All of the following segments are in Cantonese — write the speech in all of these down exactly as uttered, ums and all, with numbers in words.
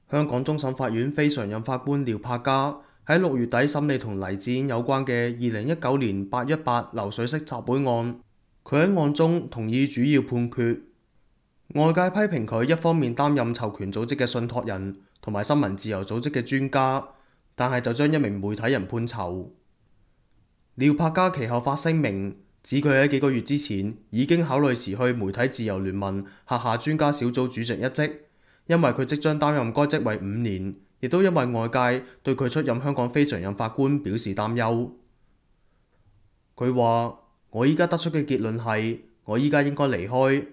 香港終審法院非常任法官廖柏嘉喺六月底審理同黎智英有關嘅二零一九年八一八流水式集會案，佢喺案中同意主要判決。外界批評佢一方面擔任囚權組織嘅信託人同埋新聞自由組織嘅專家，但係就將一名媒體人判囚。廖柏嘉其後發聲明，指佢喺幾個月之前已經考慮辭去媒體自由聯盟轄下專家小組主席一職，因為佢即將擔任該職位五年，亦都因為外界對佢出任香港非常任法官表示擔憂。佢話：我依家得出嘅結論係，我依家應該離開，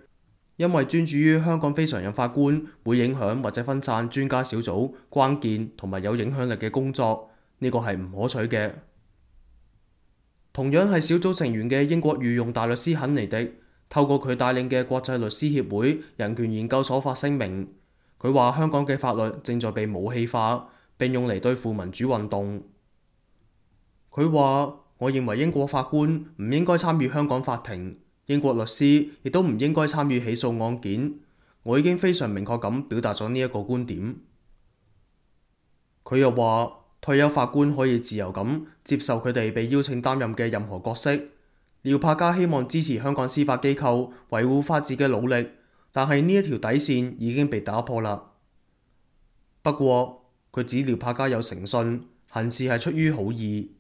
因為專注於香港非常任法官會影響或者分散專家小組關鍵同埋有影響力嘅工作，呢個係唔可取嘅。同樣係小組成員嘅英國御用大律師肯尼迪，透過佢帶領嘅國際律師協會人權研究所發聲明，佢話香港嘅法律正在被武器化，並用嚟對付民主運動。佢話：我認為英國法官唔應該參與香港法庭，英國律師亦都唔應該參與起訴案件。我已經非常明確咁表達咗呢一個觀點。佢又話：退休法官可以自由咁接受佢哋被邀請擔任嘅任何角色。廖柏嘉希望支持香港司法機構維護法治嘅努力，但係呢一條底線已經被打破啦。不過佢指廖柏嘉有誠信，行事係出於好意。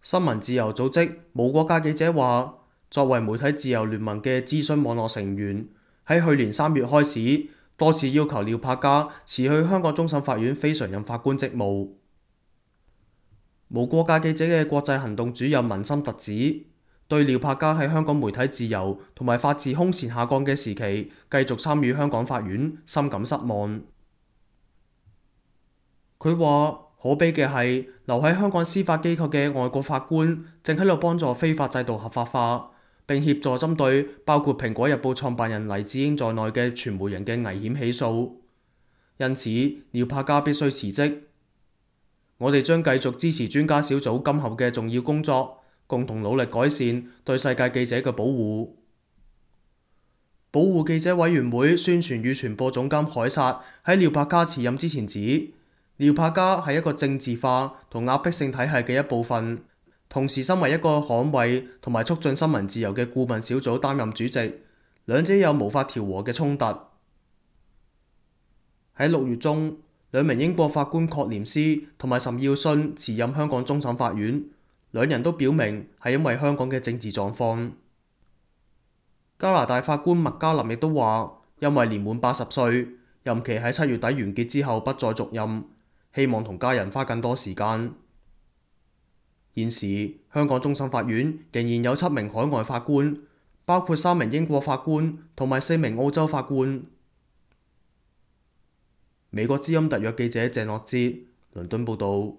新聞自由組織無國界記者話，作為媒體自由聯盟嘅諮詢網絡成員，喺去年三月開始多次要求廖柏嘉辭去香港終審法院非常任法官職務。無國界記者嘅國際行動主任文森特指，對廖柏嘉喺香港媒體自由同埋法治空前下降嘅時期繼續參與香港法院深感失望。佢話：可悲嘅係，留喺香港司法機構嘅外國法官正喺度幫助非法制度合法化，並協助針對包括《蘋果日報》創辦人黎智英在內嘅傳媒人嘅危險起訴。因此，廖柏嘉必須辭職。我哋將繼續支持專家小組今後嘅重要工作，共同努力改善對世界記者嘅保護。保護記者委員會宣傳與傳播總監凱撒喺廖柏嘉辭任之前指，廖柏嘉係一個政治化同壓迫性體系嘅一部分，同時身為一個捍衛同埋促進新聞自由嘅顧問小組擔任主席，兩者有無法調和嘅衝突。喺六月中，兩名英國法官確廉斯同埋岑耀信辭任香港終審法院，兩人都表明係因為香港嘅政治狀況。加拿大法官麥嘉林亦都話，因為年滿八十歲，任期喺七月底完結之後不再續任，希望同家人花更多時間。現時香港終審法院仍然有七名海外法官，包括三名英國法官同埋四名澳洲法官。美國之音特約記者鄭樂哲，倫敦報導。